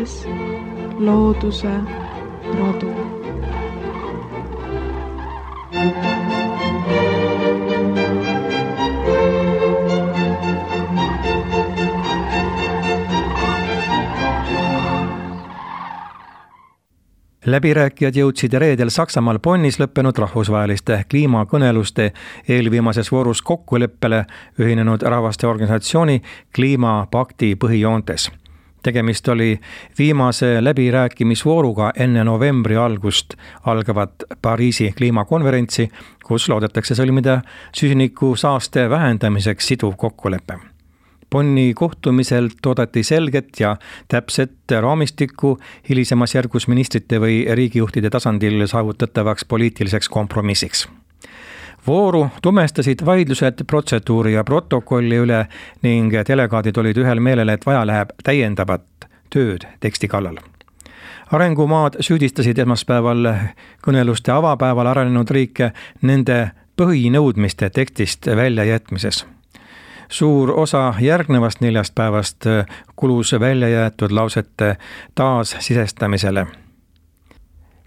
kaitses looduse rodu. Läbirääkijad jõudsid reedel Saksamaal Bonnis lõppenud rahvusvaheliste kliimakõneluste eelviimases voorus kokkuleppele Ühinenud Rahvaste Organisatsiooni kliimapakti põhijoontes. Tegemist oli viimase läbirääkimisvooruga enne novembri algust algavat Pariisi kliimakonverentsi, kus loodetakse sõlmida süsiniku saaste vähendamiseks siduv kokkulepe. Bonni kohtumiselt oodati selget ja täpset raamistikku hilisemas järgus ministrite või riigijuhtide tasandil saavutatavaks poliitiliseks kompromissiks. Vooru tumestasid vaidlused protseduuri ja protokolli üle ning delegaadid olid ühel meelel, et vaja läheb täiendavat tööd teksti kallal. Arengumaad süüdistasid esmaspäeval kõneluste avapäeval arenenud riike nende põhinõudmiste tekstist väljajätmises. Suur osa järgnevast 4 päevast kulus välja jäetud lausete taassisestamisele.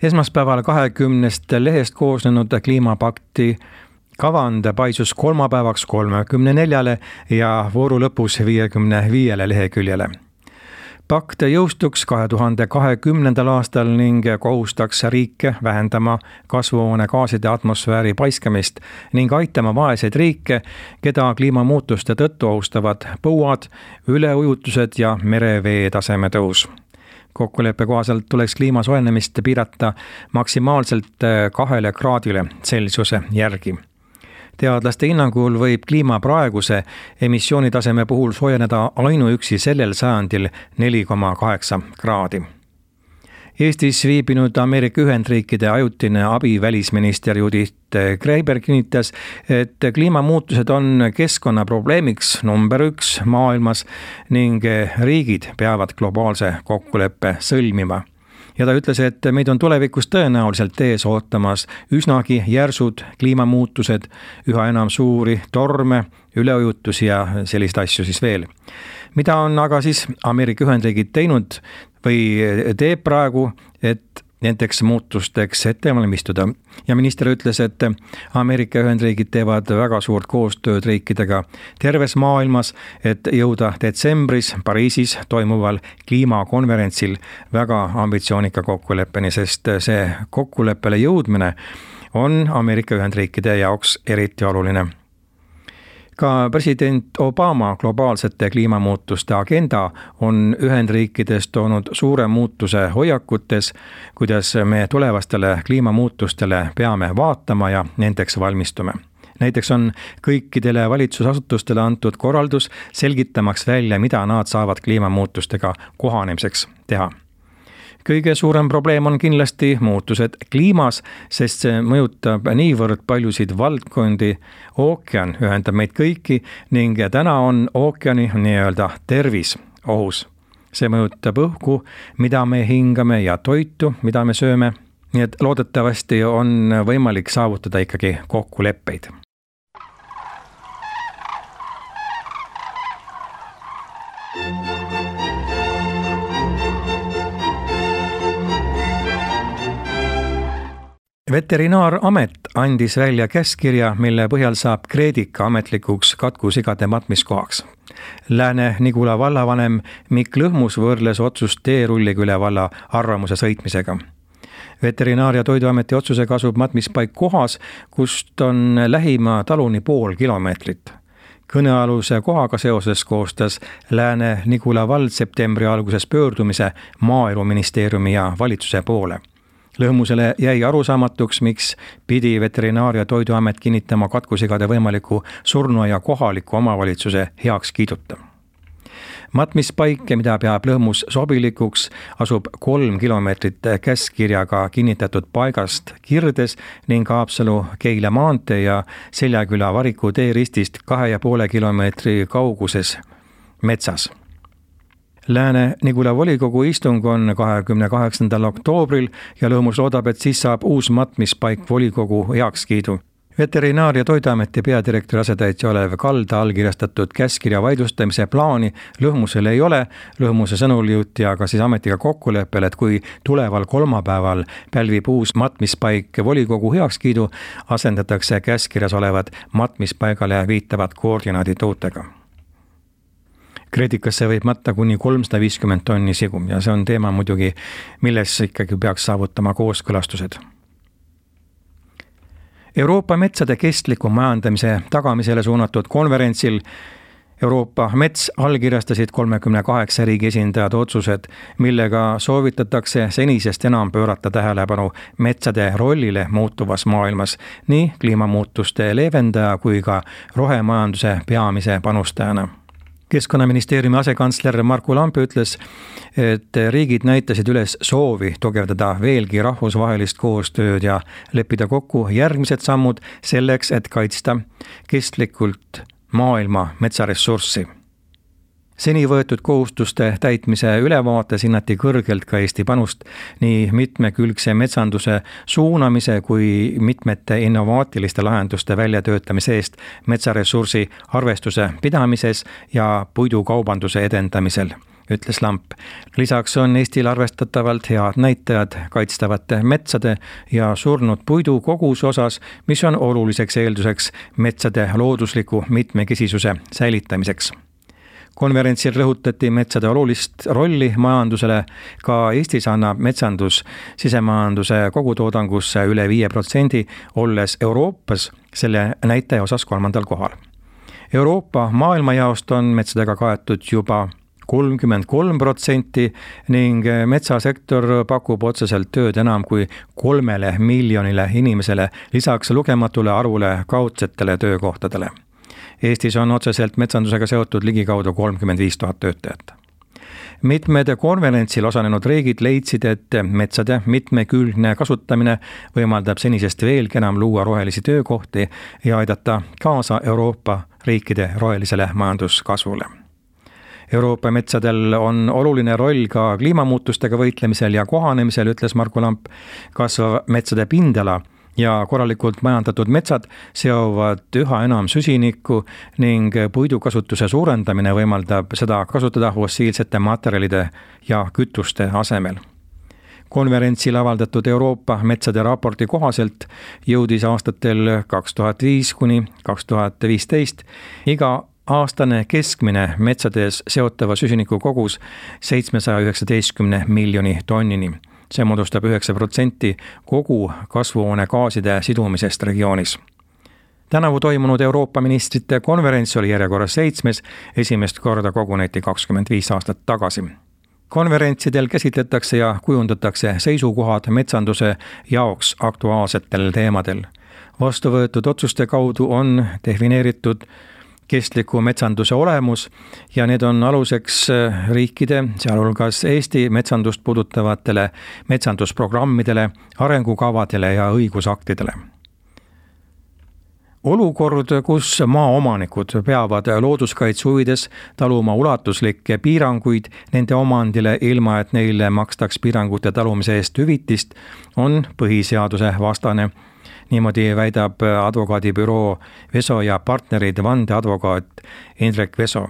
Esmaspäeval 20 lehest koosnenud kliimapakti kavand paisus kolmapäevaks 34 ja vooru lõpus 55 leheküljele. Pakt jõustuks 2020. aastal ning kohustaks riike vähendama kasvuhoonegaaside atmosfääri paiskamist ning aitama vaeseid riike, keda kliimamuutuste tõttu ohustavad põuad, üleujutused ja merevee taseme tõus. Kokkuleppe kohaselt tuleks kliima soojenemist piirata maksimaalselt 2 kraadile Celsiuse järgi. Teadlaste hinnangul võib kliima praeguse emissioonitaseme puhul soojeneda ainuüksi sellel sajandil 4,8 kraadi. Eestis viibinud Ameerika Ühendriikide ajutine abivälisminister Judith Kreiber kinnitas, et kliimamuutused on keskkonnaprobleemiks number 1 maailmas ning riigid peavad globaalse kokkuleppe sõlmima. Ja ta ütles, et meid on tulevikus tõenäoliselt ees ootamas üsnagi järsud kliimamuutused, üha enam suuri torme, üleujutusi ja selliseid asju siis veel. Mida on aga siis Ameerika Ühendriigid teinud või teeb praegu, et nendeks muutusteks ette valmistuda? Ja minister ütles, et Ameerika Ühendriigid teevad väga suurt koostööd riikidega terves maailmas, et jõuda detsembris Pariisis toimuval kliimakonverentsil väga ambitsioonika kokkuleppeni, sest see kokkuleppele jõudmine on Ameerika Ühendriikide jaoks eriti oluline. Ka president Obama globaalsete kliimamuutuste agenda on Ühendriikides toonud suure muutuse hoiakutes, kuidas me tulevastele kliimamuutustele peame vaatama ja nendeks valmistume. Näiteks on kõikidele valitsusasutustele antud korraldus selgitamaks välja, mida nad saavad kliimamuutustega kohanemiseks teha. Kõige suurem probleem on kindlasti muutused kliimas, sest see mõjutab niivõrd paljusid valdkondi. Ookean ühendab meid kõiki ning täna on ookeani nii-öelda tervis ohus. See mõjutab õhku, mida me hingame ja toitu, mida me sööme. Nii et loodetavasti on võimalik saavutada ikkagi kokkuleppeid. Veterinaaramet andis välja käskkirja, mille põhjal saab Kreedika ametlikuks katkusigade matmiskohaks. Lääne-Nigula vallavanem Mikk Lõhmus võrles otsust Teerulliküle valla arvamuse sõitmisega. Veterinaar- ja Toiduameti otsusega asub matmispaik kohas, kust on lähima taluni 0,5 kilomeetrit. Kõnealuse kohaga seoses koostas Lääne-Nigula vald septembri alguses pöördumise Maaeluministeeriumi ja valitsuse poole. Lõhmusele jäi arusaamatuks, miks pidi Veterinaar- ja Toiduamet kinnitama katkusigade võimaliku surnuaia kohaliku omavalitsuse heaks kiiduta. Matmispaik, mida peab Lõhmus sobilikuks, asub 3 kilomeetrit käskkirjaga kinnitatud paigast Kirdes ning Haapsalu-Keila maantee ja Seljaküla Variku teeristist 2,5 kilomeetri kauguses metsas. Lääne-Nigula volikogu istung on 28. oktoobril ja Lõhmus loodab, et siis saab uus matmispaik volikogu heakskiidu. Veterinaar- ja Toiduameti peadirektori asetäitja Olev Kalda allkirjastatud käskkirja vaidlustamise plaani Lõhmusel ei ole. Lõhmuse sõnul jõuti aga siis ametiga kokkuleppele, et kui tuleval kolmapäeval pälvib uus matmispaik volikogu heakskiidu, asendatakse käskkirjas olevad matmispaigale viitavad koordinaadid uutega. Kreedikasse võib matta kuni 350 tonni sigu ja see on teema muidugi, milles ikkagi peaks saavutama kooskõlastused. Euroopa metsade kestliku majandamise tagamisele suunatud konverentsil Euroopa Mets allkirjastasid 38 riigi esindajad otsused, millega soovitatakse senisest enam pöörata tähelepanu metsade rollile muutuvas maailmas nii kliimamuutuste leevendaja kui ka rohemajanduse peamise panustajana. Keskkonnaministeeriumi asekantsler Marku Lamp ütles, et riigid näitasid üles soovi tugevdada veelgi rahvusvahelist koostööd ja leppida kokku järgmised sammud selleks, et kaitsta kestlikult maailma metsaressurssi. Seni võetud kohustuste täitmise ülevaates hinnati kõrgelt ka Eesti panust nii mitmekülgse metsanduse suunamise kui mitmete innovaatiliste lahenduste väljatöötamise eest metsaressursi arvestuse pidamises ja puidukaubanduse edendamisel, ütles Lamp. Lisaks on Eestil arvestatavalt head näitajad kaitstavate metsade ja surnud puidu koguse osas, mis on oluliseks eelduseks metsade loodusliku mitmekesisuse säilitamiseks. Konverentsil rõhutati metsade olulist rolli majandusele, ka Eestis annab metsandus sisemajanduse kogutoodangusse üle 5%, olles Euroopas selle näitaja osas 3. kohal. Euroopa maailmajaost on metsadega kaetud juba 33% ning metsasektor pakub otseselt tööd enam kui 3 miljonile inimesele, lisaks lugematule arvule kaudsetele töökohtadele. Eestis on otseselt metsandusega seotud ligikaudu 35 000 töötajat. Mitmed konverentsil osalenud riigid leidsid, et metsade mitmekülgne kasutamine võimaldab senisest veelgi enam luua rohelisi töökohti ja aidata kaasa Euroopa riikide rohelisele majanduskasvule. Euroopa metsadel on oluline roll ka kliimamuutustega võitlemisel ja kohanemisel, ütles Marku Lamp. Kasvav metsade pindala ja korralikult majandatud metsad seovad üha enam süsinikku ning puidukasutuse suurendamine võimaldab seda kasutada fossiilsete materjalide ja kütuste asemel. Konverentsil avaldatud Euroopa metsade raporti kohaselt jõudis aastatel 2005 kuni 2015 iga aastane keskmine metsades seotava süsiniku kogus 719 miljoni tonnini. See moodustab 9% kogu kasvuhoonegaaside sidumisest regioonis. Tänavu toimunud Euroopa ministrite konverents oli järjekorras 7. esimest korda koguneti 25 aastat tagasi. Konverentsidel käsitletakse ja kujundatakse seisukohad metsanduse jaoks aktuaalsetel teemadel. Vastu võetud otsuste kaudu on defineeritud kestliku metsanduse olemus ja need on aluseks riikide, sealhulgas Eesti metsandust puudutavatele metsandusprogrammidele, arengukavadele ja õigusaktidele. Olukord, kus maaomanikud peavad looduskaitse huvides taluma ulatuslikke piiranguid nende omandile, ilma et neile makstaks piirangute talumise eest hüvitist, on põhiseaduse vastane. Niimoodi väidab advokaadibüroo Veso ja partnerid vandeadvokaat Indrek Veso.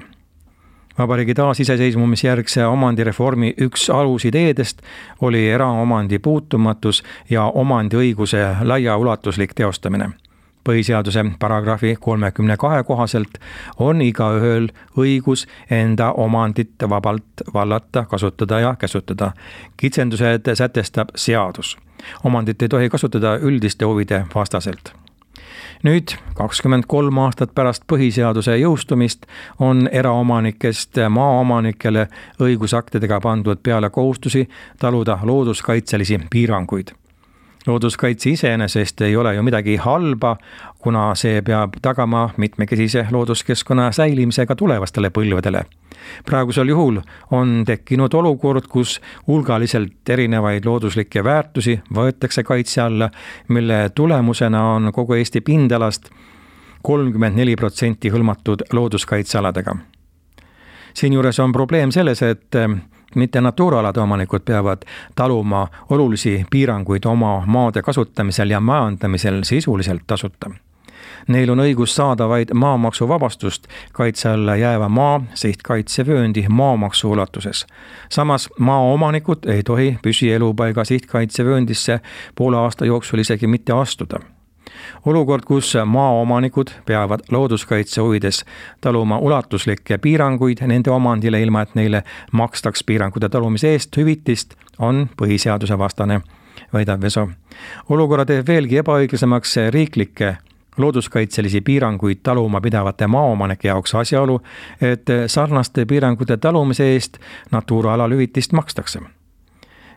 Vabariigi taasiseseisvumisjärgse omandireformi üks alusideedest oli eraomandi puutumatus ja omandiõiguse laiaulatuslik teostamine. Põhiseaduse paragrahvi 32 kohaselt on igaühel õigus enda omandit vabalt vallata, kasutada ja käsutada. Kitsendused sätestab seadus. Omandit ei tohi kasutada üldiste huvide vastaselt. Nüüd 23 aastat pärast põhiseaduse jõustumist on eraomanikest maaomanikele õigusaktidega pandud peale kohustusi taluda looduskaitselisi piiranguid. Looduskaitse iseenesest ei ole ju midagi halba, kuna see peab tagama mitmekesise looduskeskkonna säilimisega tulevastele põlvedele. Praegusel juhul on tekkinud olukord, kus hulgaliselt erinevaid looduslikke väärtusi võetakse kaitse alla, mille tulemusena on kogu Eesti pindalast 34% hõlmatud looduskaitsealadega. Siinjuures on probleem selles, et mitte naturaalade omanikud peavad taluma olulisi piiranguid oma maade kasutamisel ja majandamisel sisuliselt tasuta. Neil on õigus saada vaid maamaksuvabastust kaitse alla jääva maa sihtkaitsevööndi maamaksu ulatuses. Samas maaomanikud ei tohi püsielupaiga sihtkaitsevööndisse poole aasta jooksul isegi mitte astuda. Olukord, kus maaomanikud peavad looduskaitse huvides taluma ulatuslikke piiranguid nende omandile, ilma et neile makstaks piirangute talumise eest hüvitist, on põhiseaduse vastane, väidab Veso. Olukorra teeb veelgi ebaõiglasemaks riiklikke looduskaitselisi piiranguid taluma pidavate maaomanike jaoks asjaolu, et sarnaste piirangute talumise eest Natura alal hüvitist makstakse.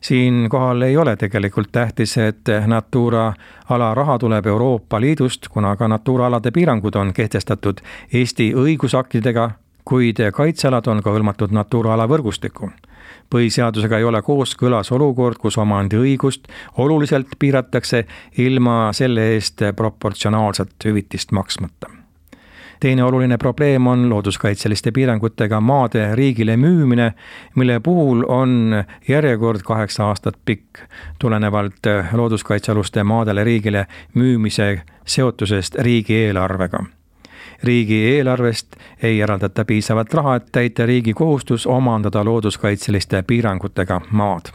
Siinkohal ei ole tegelikult tähtis, et Natura ala raha tuleb Euroopa Liidust, kuna ka Natura alade piirangud on kehtestatud Eesti õigusaktidega, kuid kaitsealad on ka hõlmatud Natura ala võrgustikku. Põhiseadusega ei ole kooskõlas olukord, kus omandiõigust oluliselt piiratakse ilma selle eest proportsionaalselt hüvitist maksmata. Teine oluline probleem on looduskaitseliste piirangutega maade riigile müümine, mille puhul on järjekord 8 aastat pikk, tulenevalt looduskaitsealuste maadele riigile müümise seotusest riigieelarvega. Riigieelarvest ei eraldata piisavat raha, et täita riigi kohustus omandada looduskaitseliste piirangutega maad.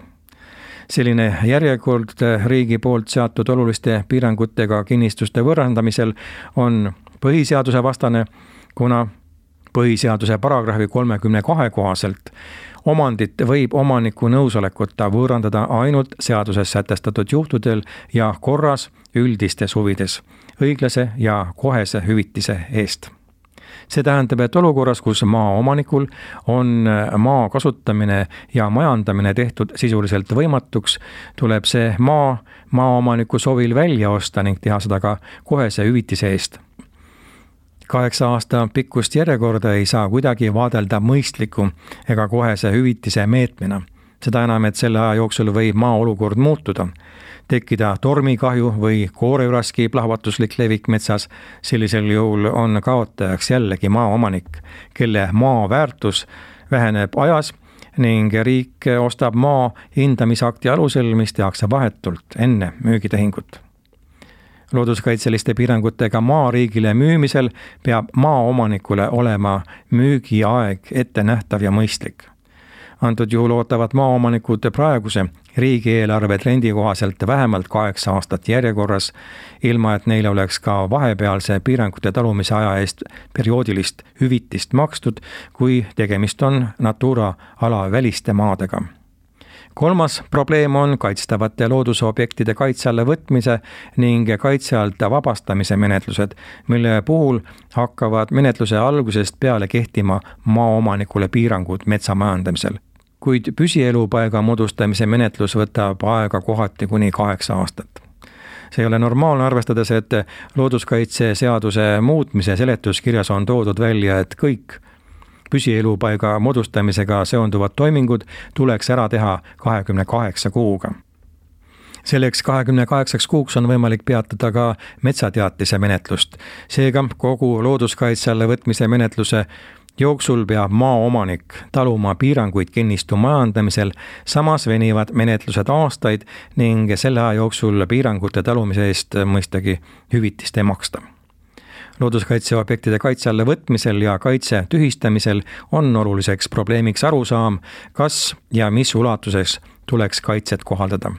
Selline järjekord riigi poolt seatud oluliste piirangutega kinnistuste võrrandamisel on põhiseaduse vastane, kuna põhiseaduse paragrahvi 32 kohaselt omandit võib omaniku nõusolekuta võõrandada ainult seaduses sätestatud juhtudel ja korras üldistes huvides, õiglase ja kohese hüvitise eest. See tähendab, et olukorras, kus maaomanikul on maa kasutamine ja majandamine tehtud sisuliselt võimatuks, tuleb see maaomaniku soovil välja osta ning teha seda ka kohese hüvitise eest. 8 aasta pikkust järjekorda ei saa kuidagi vaadelda mõistliku ega kohese hüvitise meetmena. Seda enam, et selle aja jooksul võib maa olukord muutuda, tekkida tormikahju või kooreüraski plahvatuslik levik metsas. Sellisel juhul on kaotajaks jällegi maaomanik, kelle maa väärtus väheneb ajas ning riik ostab maa hindamisakti alusel, mis tehakse vahetult enne müügitehingut. Looduskaitseliste piirangutega maa riigile müümisel peab maaomanikule olema müügiaeg ettenähtav ja mõistlik. Antud juhul ootavad maaomanikud praeguse riigieelarve trendi kohaselt vähemalt 8 aastat järjekorras, ilma et neile oleks ka vahepealse piirangute talumise aja eest perioodilist hüvitist makstud, kui tegemist on Natura ala väliste maadega. Kolmas probleem on kaitstavate loodusobjektide kaitse alla võtmise ning kaitse alt vabastamise menetlused, mille puhul hakkavad menetluse algusest peale kehtima maaomanikule piirangud metsa majandamisel. Kuid püsielupaiga moodustamise menetlus võtab aega kohati kuni 8 aastat. See ei ole normaalne, arvestades, et looduskaitseseaduse muutmise seletuskirjas on toodud välja, et kõik püsielupaiga moodustamisega seonduvad toimingud tuleks ära teha 28 kuuga. Selleks 28 kuuks on võimalik peatada ka metsateatise menetlust. Seega kogu looduskaitse alla võtmise menetluse jooksul peab maaomanik taluma piiranguid kinnistu majandamisel, samas venivad menetlused aastaid ning selle aja jooksul piirangute talumise eest mõistagi hüvitist ei maksta. Looduskaitseobjektide kaitse alla võtmisel ja kaitse tühistamisel on oluliseks probleemiks arusaam, kas ja mis ulatuses tuleks kaitset kohaldada.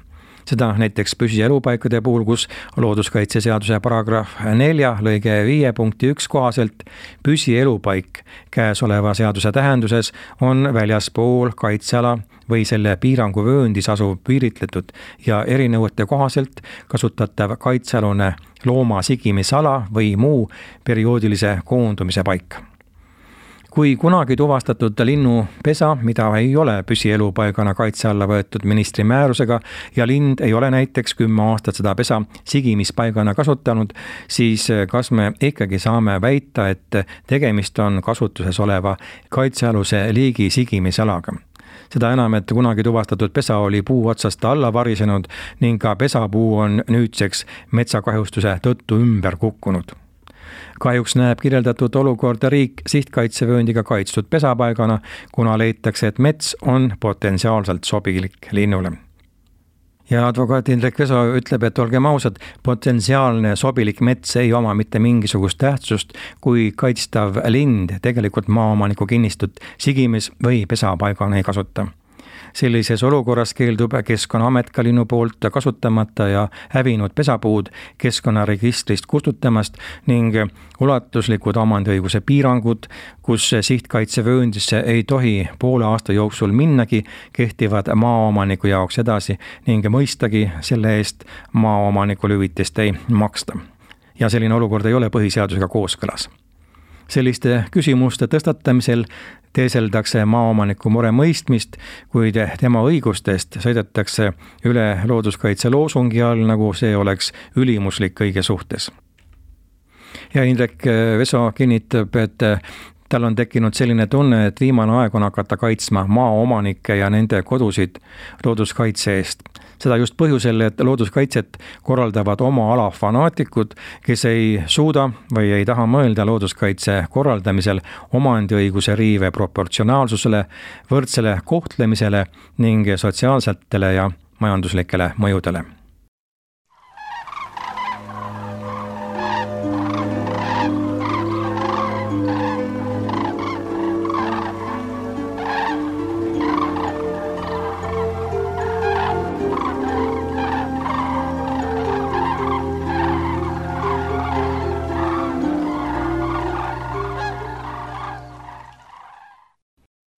Seda näiteks püsielupaikade puhul, kus looduskaitseseaduse paragrahv 4 lõige 5 punkti 1 kohaselt püsielupaik käesoleva seaduse tähenduses on väljaspool kaitseala või selle piiranguvööndis asuv piiritletud ja erinõuete kohaselt kasutatav kaitsealune looma sigimisala või muu perioodilise koondumise paik. Kui kunagi tuvastatud linnupesa, mida ei ole püsielupaigana kaitse alla võetud ministri määrusega ja lind ei ole näiteks 10 aastat seda pesa sigimispaigana kasutanud, siis kas me ikkagi saame väita, et tegemist on kasutuses oleva kaitsealuse liigi sigimisalaga? Seda enam, et kunagi tuvastatud pesa oli puu otsast alla varisenud ning ka pesapuu on nüüdseks metsakahjustuse tõttu ümber kukkunud. Kahjuks näeb kirjeldatud olukorda riik sihtkaitsevööndiga kaitstud pesapaigana, kuna leitakse, et mets on potentsiaalselt sobilik linnule. Ja advokaat Indrek Veso ütleb, et olgem ausad, potentsiaalne sobilik mets ei oma mitte mingisugust tähtsust, kui kaitstav lind tegelikult maaomaniku kinnistut sigimis või pesapaigana ei kasuta. Sellises olukorras keeldub Keskkonnaamet ka linnu poolt kasutamata ja hävinud pesapuud keskkonnaregistrist kustutamast ning ulatuslikud omandiõiguse piirangud, kus sihtkaitsevööndisse ei tohi poole aasta jooksul minnagi, kehtivad maaomaniku jaoks edasi ning mõistagi selle eest maaomanikul hüvitist ei maksta. Ja selline olukord ei ole põhiseadusega kooskõlas. Selliste küsimuste tõstatamisel teeseldakse maaomaniku mure mõistmist, kuid tema õigustest sõidetakse üle looduskaitse loosungi all, nagu see oleks ülimuslik kõige suhtes. Ja Indrek Veso kinnitab, et tal on tekkinud selline tunne, et viimane aeg on hakata kaitsma maaomanikke ja nende kodusid looduskaitse eest. Seda just põhjusel, et looduskaitset korraldavad oma ala fanaatikud, kes ei suuda või ei taha mõelda looduskaitse korraldamisel omandiõiguse riive proportsionaalsusele, võrdsele kohtlemisele ning sotsiaalsetele ja majanduslikele mõjudele.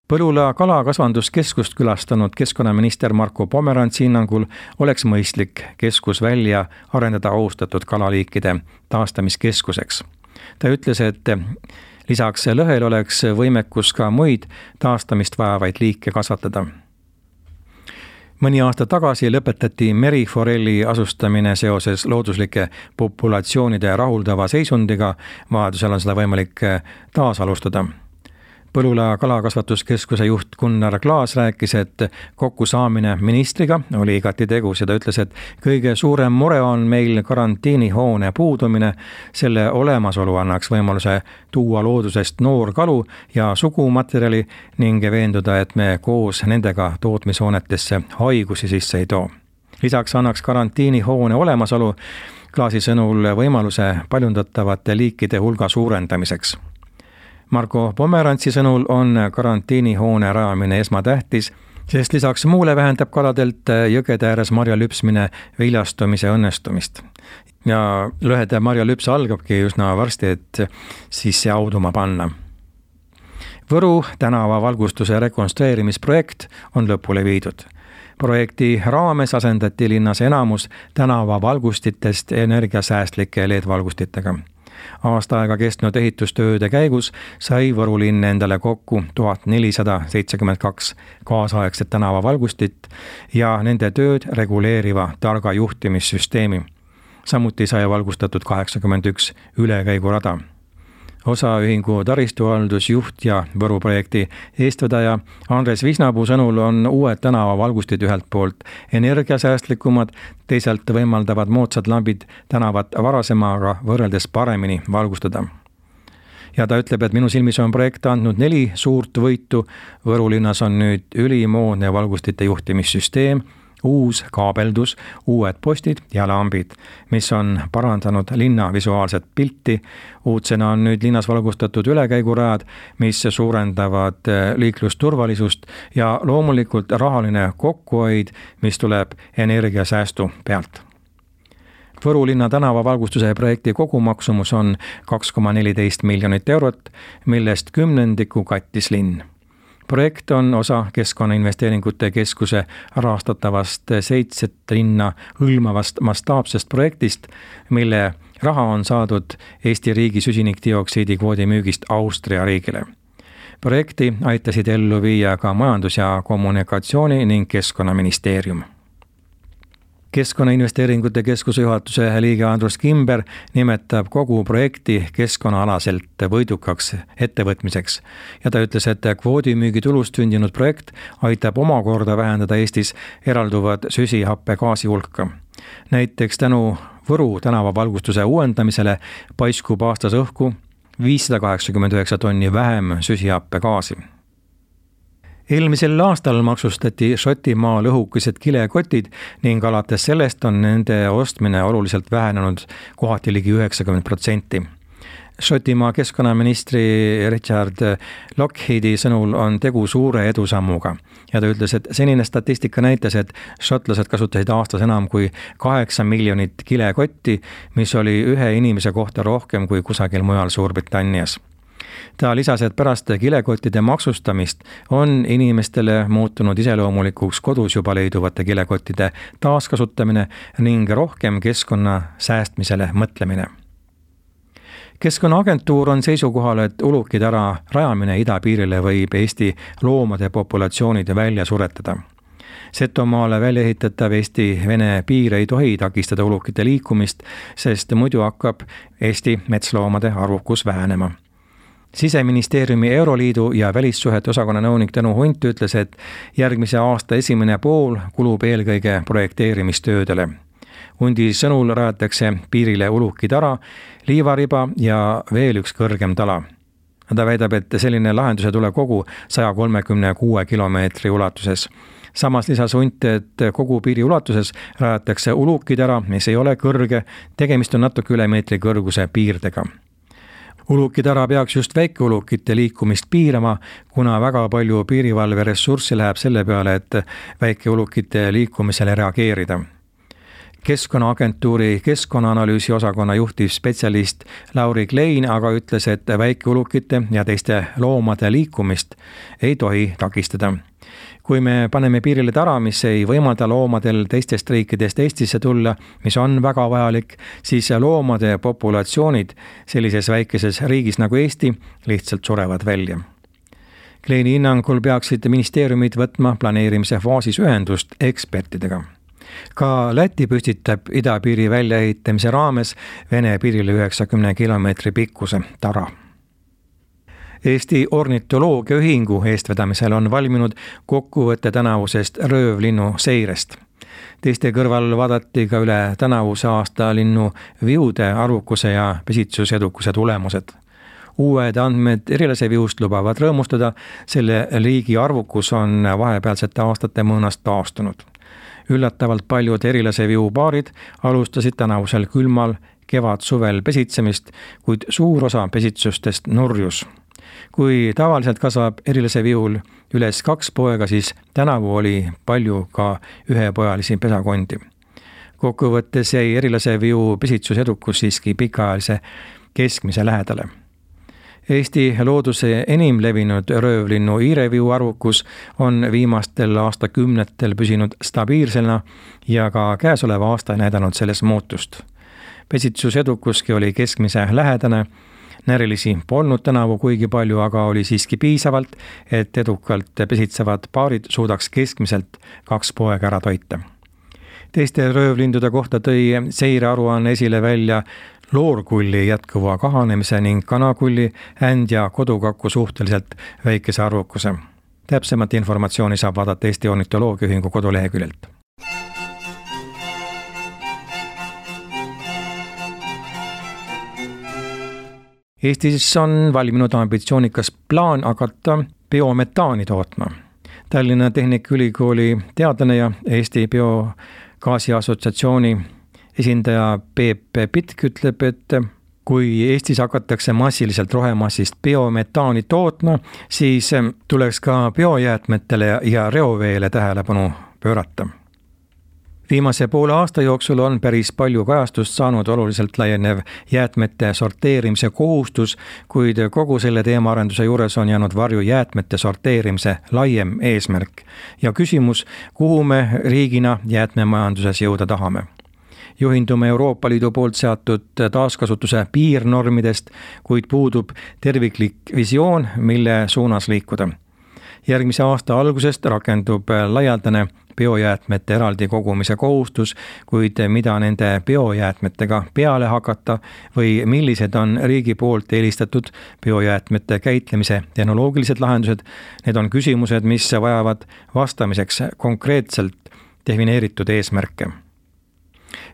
Põlula kalakasvanduskeskust külastanud keskkonnaminister Marko Pomerantsi hinnangul oleks mõistlik keskus välja arendada austatud kalaliikide taastamiskeskuseks. Ta ütles, et lisaks lõhel oleks võimekus ka muid taastamist vajavaid liike kasvatada. Mõni aasta tagasi lõpetati meriforelli asustamine seoses looduslike populatsioonide rahuldava seisundiga, vajadusel on seda võimalik taas alustada. Põlula kalakasvatuskeskuse juht Gunnar Klaas rääkis, et kokkusaamine ministriga oli igati tegus ja ta ütles, et kõige suurem mure on meil karantiinihoone puudumine. Selle olemasolu annaks võimaluse tuua loodusest noorkalu ja sugumaterjali ning veenduda, et me koos nendega tootmishoonetesse haigusi sisse ei too. Lisaks annaks karantiinihoone olemasolu Klaasi sõnul võimaluse paljundatavate liikide hulga suurendamiseks. Marko Pomerantsi sõnul on karantiinihoone rajamine esmatähtis, sest lisaks muule vähendab kaladelt jõgede ääres marja lüpsmine viljastumise õnnestumist. Ja lõhede marja lüps algabki üsna varsti, et siis see auduma panna. Võru tänava valgustuse rekonstrueerimisprojekt on lõpule viidud. Projekti raames asendati linnas enamus tänava valgustitest energiasäästlike LED-valgustitega. Aasta aega kestnud ehitustööde käigus sai Võru linn endale kokku 1472 kaasaegset tänavavalgustit ja nende tööd reguleeriva targa juhtimissüsteemi. Samuti sai valgustatud 81 ülekäigurada. Osaühingu taristuhaldusjuht ja Võru projekti eestvedaja Andres Visnapuu sõnul on uued tänavavalgustid ühelt poolt energiasäästlikumad, teisalt võimaldavad moodsad lambid tänavat varasemaga võrreldes paremini valgustada. Ja ta ütleb, et minu silmis on projekt andnud 4 suurt võitu. Võru linnas on nüüd ülimoodne valgustite juhtimissüsteem, uus kaabeldus, uued postid ja lambid, mis on parandanud linna visuaalset pilti. Uudsena on nüüd linnas valgustatud ülekäigurajad, mis suurendavad liiklusturvalisust ja loomulikult rahaline kokkuhoid, mis tuleb energiasäästu pealt. Võru linna tänavavalgustuse projekti kogumaksumus on 2,14 miljonit eurot, millest 10% kattis linn. Projekt on osa Keskkonnainvesteeringute Keskuse rahastatavast 7 linna hõlmavast mastaapsest projektist, mille raha on saadud Eesti riigi süsinikdioksiidi kvoodi müügist Austria riigile. Projekti aitasid ellu viia ka Majandus- ja Kommunikatsiooni ning Keskkonnaministeerium. Keskkonnainvesteeringute Keskuse juhatuse liige Andrus Kimber nimetab kogu projekti keskkonnaalaselt võidukaks ettevõtmiseks ja ta ütles, et kvoodimüügi tulust sündinud projekt aitab omakorda vähendada Eestis eralduvad süsihappegaasi hulka. Näiteks tänu Võru tänavavalgustuse uuendamisele paiskub aastas õhku 589 tonni vähem süsihappegaasi. Eelmisel aastal maksustati Šotimaal õhukesed kilekotid ning alates sellest on nende ostmine oluliselt vähenenud, kohati ligi 90%. Šotimaa keskkonnaministri Richard Lockheedi sõnul on tegu suure edusammuga ja ta ütles, et senine statistika näitas, et šotlased kasutasid aastas enam kui 8 miljonit kilekotti, mis oli ühe inimese kohta rohkem kui kusagil mujal Suurbritannias. Ta lisas, et pärast kilekottide maksustamist on inimestele muutunud iseloomulikuks kodus juba leiduvate kilekottide taaskasutamine ning rohkem keskkonna säästmisele mõtlemine. Keskkonnaagentuur on seisukohal, et ulukitara rajamine idapiirile võib Eesti loomade populatsioonid välja suretada. Setomaale välja ehitatav Eesti-Vene piir ei tohi takistada ulukite liikumist, sest muidu hakkab Eesti metsloomade arvukus vähenema. Siseministeeriumi Euroliidu ja välissuhete osakonna nõunik Tõnu Hunt ütles, et järgmise aasta esimene pool kulub eelkõige projekteerimistöödele. Hundi sõnul rajatakse piirile ulukitara, liivariba ja veel üks kõrgem tala. Ta väidab, et selline lahenduse tule kogu 136 kilomeetri ulatuses. Samas lisas Hunt, et kogu piiri ulatuses rajatakse ulukitara, mis ei ole kõrge, tegemist on natuke üle meetri kõrguse piirdega. Ulukitara peaks just väikeulukite liikumist piirama, kuna väga palju piirivalve ressurssi läheb selle peale, et väikeulukite liikumisele reageerida. Keskkonnaagentuuri keskkonnaanalüüsi osakonna juhtivspetsialist Lauri Klein aga ütles, et väikeulukite ja teiste loomade liikumist ei tohi takistada. Kui me paneme piirile tara, mis ei võimalda loomadel teistest riikidest Eestisse tulla, mis on väga vajalik, siis loomade populatsioonid sellises väikeses riigis nagu Eesti lihtsalt surevad välja. Kleini hinnangul peaksid ministeeriumid võtma planeerimise faasis ühendust ekspertidega. Ka Läti püstitab idapiiri väljaehitamise raames Vene piirile 90 kilomeetri pikkuse tara. Eesti Ornitoloogia Ühingu eestvedamisel on valminud kokkuvõte tänavusest röövlinnu seirest. Teiste kõrval vaadati ka üle tänavuse aasta linnu viude arvukuse ja pesitsusedukuse tulemused. Uued andmed erilase viust lubavad rõõmustada, selle liigi arvukus on vahepealsete aastate mõõnast taastunud. Üllatavalt paljud erilase viu paarid alustasid tänavusel külmal kevad-suvel pesitsemist, kuid suur osa pesitsustest nurjus. Kui tavaliselt kasvab erilase viul üles 2 poega, siis tänavu oli palju ka ühepojalisi pesakondi. Kokkuvõttes jäi erilase viu pesitsusedukus siiski pikaajalise keskmise lähedale. Eesti looduse enim levinud röövlinnu iireviu arvukus on viimastel aastakümnetel püsinud stabiilsena ja ka käesoleva aasta näidanud selles muutust. Pesitsusedukuski oli keskmise lähedane, närilisi polnud tänavu kuigi palju, aga oli siiski piisavalt, et edukalt pesitsevad paarid suudaks keskmiselt 2 poega ära toita. Teiste röövlindude kohta tõi seirearuanne esile välja loorkulli jätkuva kahanemise ning kanakulli, änd ja kodukaku suhteliselt väikese arvukuse. Täpsemat informatsiooni saab vaadata Eesti Ornitoloogia Ühingu koduleheküljelt. Eestis on valminud ambitsioonikas plaan hakata biometaani tootma. Tallinna Tehnikaülikooli teadlane ja Eesti Biogaasi Assotsiatsiooni esindaja Peep Pitk ütleb, et kui Eestis hakatakse massiliselt rohemassist biometaani tootma, siis tuleks ka biojäätmetele ja reoveele tähelepanu pöörata. Viimase poole aasta jooksul on päris palju kajastust saanud oluliselt laienev jäätmete sorteerimise kohustus, kuid kogu selle teemaarenduse juures on jäänud varju jäätmete sorteerimise laiem eesmärk ja küsimus, kuhu me riigina jäätmemajanduses jõuda tahame. Juhindume Euroopa Liidu poolt seatud taaskasutuse piirnormidest, kuid puudub terviklik visioon, mille suunas liikuda. Järgmise aasta algusest rakendub laialdane biojäätmete eraldi kogumise kohustus, kuid mida nende biojäätmetega peale hakata või millised on riigi poolt eelistatud biojäätmete käitlemise tehnoloogilised lahendused, need on küsimused, mis vajavad vastamiseks konkreetselt defineeritud eesmärke.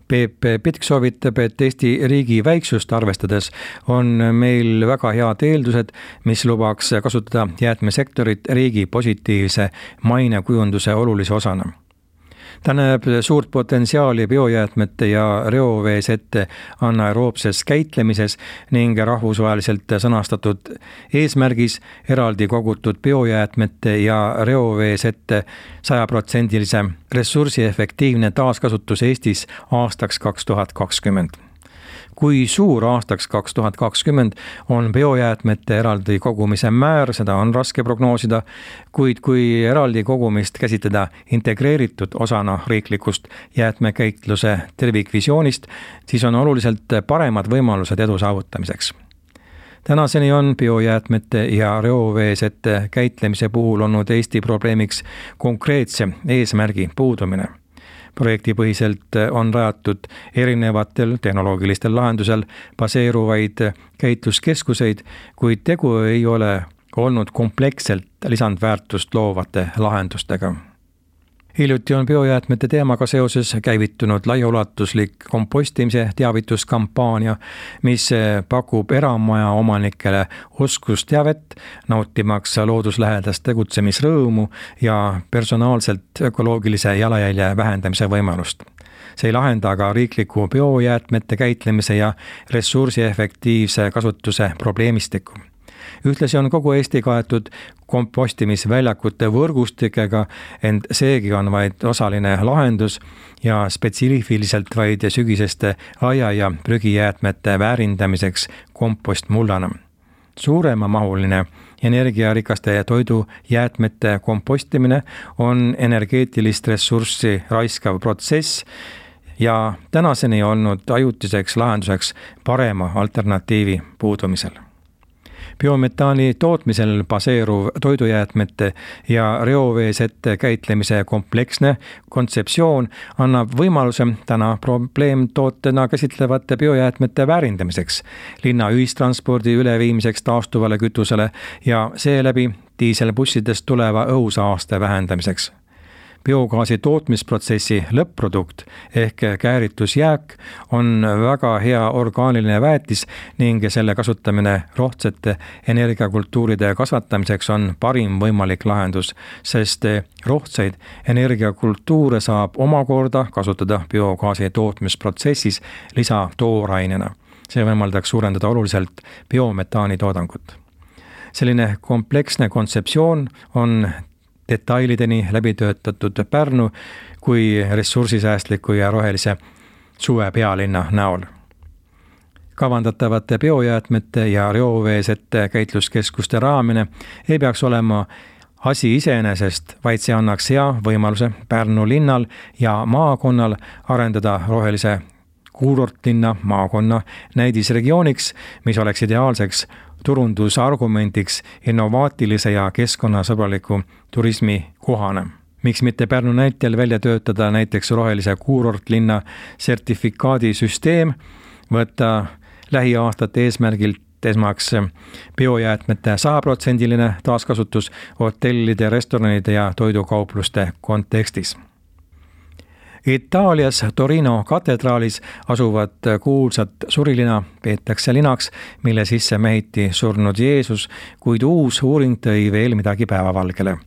Peep Pitk soovitab, et Eesti riigi väiksust arvestades on meil väga head eeldused, mis lubaks kasutada jäätmesektorit riigi positiivse mainekujunduse olulise osana. Ta näeb suurt potentsiaali biojäätmete ja reoveesete anaeroobses käitlemises ning rahvusvaheliselt sõnastatud eesmärgis eraldi kogutud biojäätmete ja reoveesete 100% ressursiefektiivne taaskasutus Eestis aastaks 2020. Kui suur aastaks 2020 on biojäätmete eraldi kogumise määr, seda on raske prognoosida, kuid kui eraldi kogumist käsitleda integreeritud osana riiklikust jäätmekäitluse tervikvisioonist, siis on oluliselt paremad võimalused edu saavutamiseks. Tänaseni on biojäätmete ja reoveesete käitlemise puhul olnud Eesti probleemiks konkreetse eesmärgi puudumine. Projektipõhiselt on rajatud erinevatel tehnoloogilistel lahendusel baseeruvaid käitluskeskuseid, kuid tegu ei ole olnud kompleksselt lisandväärtust loovate lahendustega. Hiljuti on biojäätmete teemaga seoses käivitunud laiaulatuslik kompostimise teavituskampaania, mis pakub eramaja omanikele oskusteavet, nautimaks looduslähedast tegutsemisrõõmu ja personaalselt ökoloogilise jalajälje vähendamise võimalust. See ei lahenda aga riikliku biojäätmete käitlemise ja ressursiefektiivse kasutuse probleemistikku. Ühtlasi on kogu Eesti kaetud kompostimisväljakute võrgustikega, ent seegi on vaid osaline lahendus ja spetsiifiliselt vaid sügiseste aia- ja prügijäätmete väärindamiseks kompostmullana. Suuremamahuline energiarikaste toidujäätmete kompostimine on energeetilist ressurssi raiskav protsess ja tänaseni olnud ajutiseks lahenduseks parema alternatiivi puudumisel. Biometaani tootmisel baseeruv toidujäätmete ja reoveesete käitlemise kompleksne kontseptsioon annab võimaluse täna probleemtootena käsitlevate biojäätmete väärindamiseks, linna ühistranspordi üleviimiseks taastuvale kütusele ja seeläbi diiselbussidest tuleva õhusaaste vähendamiseks. Biogaasi tootmisprotsessi lõpp-produkt ehk kääritusjääk on väga hea orgaaniline väetis ning selle kasutamine rohtsete energiakultuuride kasvatamiseks on parim võimalik lahendus, sest rohtseid energiakultuure saab omakorda kasutada biogaasi tootmisprotsessis lisatoorainena. See võimaldaks suurendada oluliselt biometaani toodangut. Selline kompleksne kontseptsioon on detailideni läbi töötatud Pärnu kui ressursisäästliku ja rohelise suve pealinna näol. Kavandatavate biojäätmete ja reoveesete käitluskeskuste raamine ei peaks olema asi iseenesest, vaid see annaks hea võimaluse Pärnu linnal ja maakonnal arendada rohelise kuurortlinna maakonna näidisregiooniks, mis oleks ideaalseks turundusargumendiks innovaatilise ja keskkonnasõbraliku turismi kohana. Miks mitte Pärnu näitel välja töötada näiteks rohelise kuurortlinna sertifikaadisüsteem, võtta lähiaastate eesmärgilt esmaks biojäätmete 100% taaskasutus hotellide, restoranide ja toidukaupluste kontekstis. Itaalias Torino katedraalis asuvat kuulsat surilina peetakse linaks, mille sisse mehiti surnud Jeesus, kuid uus uuring tõi veel midagi päevavalgele.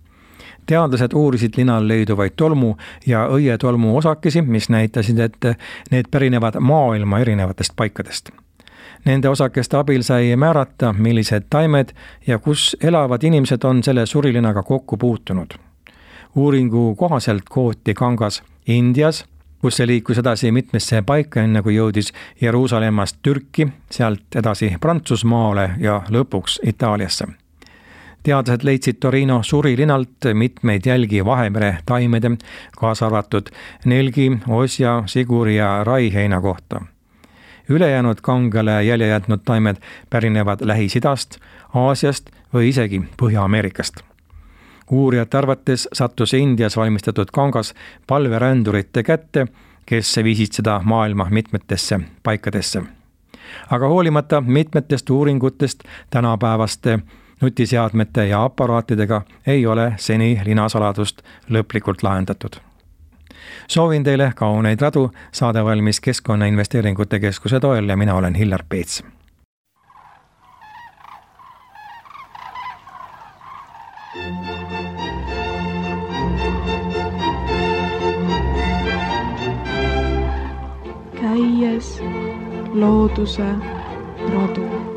Teadlased uurisid linal leiduvaid tolmu ja õietolmu osakesi, mis näitasid, et need pärinevad maailma erinevatest paikadest. Nende osakeste abil sai määrata, millised taimed ja kus elavad inimesed on selle surilinaga kokku puutunud. Uuringu kohaselt kooti kangas Indias, kus see liikus edasi mitmesse paika, enne kui jõudis Jeruusalemmast Türki, sealt edasi Prantsusmaale ja lõpuks Itaaliasse. Teadlased leidsid Torino surilinalt mitmeid jälgi Vahemere taimede, kaasa arvatud nelgi, osja, siguri ja raiheina kohta. Ülejäänud kangele jälje jätnud taimed pärinevad Lähis-Idast, Aasiast või isegi Põhja-Ameerikast. Uurijate arvates sattus Indias valmistatud kangas palverändurite kätte, kes viisid seda maailma mitmetesse paikadesse. Aga hoolimata mitmetest uuringutest tänapäevaste nutiseadmete ja aparaatidega ei ole seni linasaladust lõplikult lahendatud. Soovin teile kauneid radu, saade valmis Keskkonnainvesteeringute Keskuse toel ja mina olen Hillar Peets. Käies looduse radu.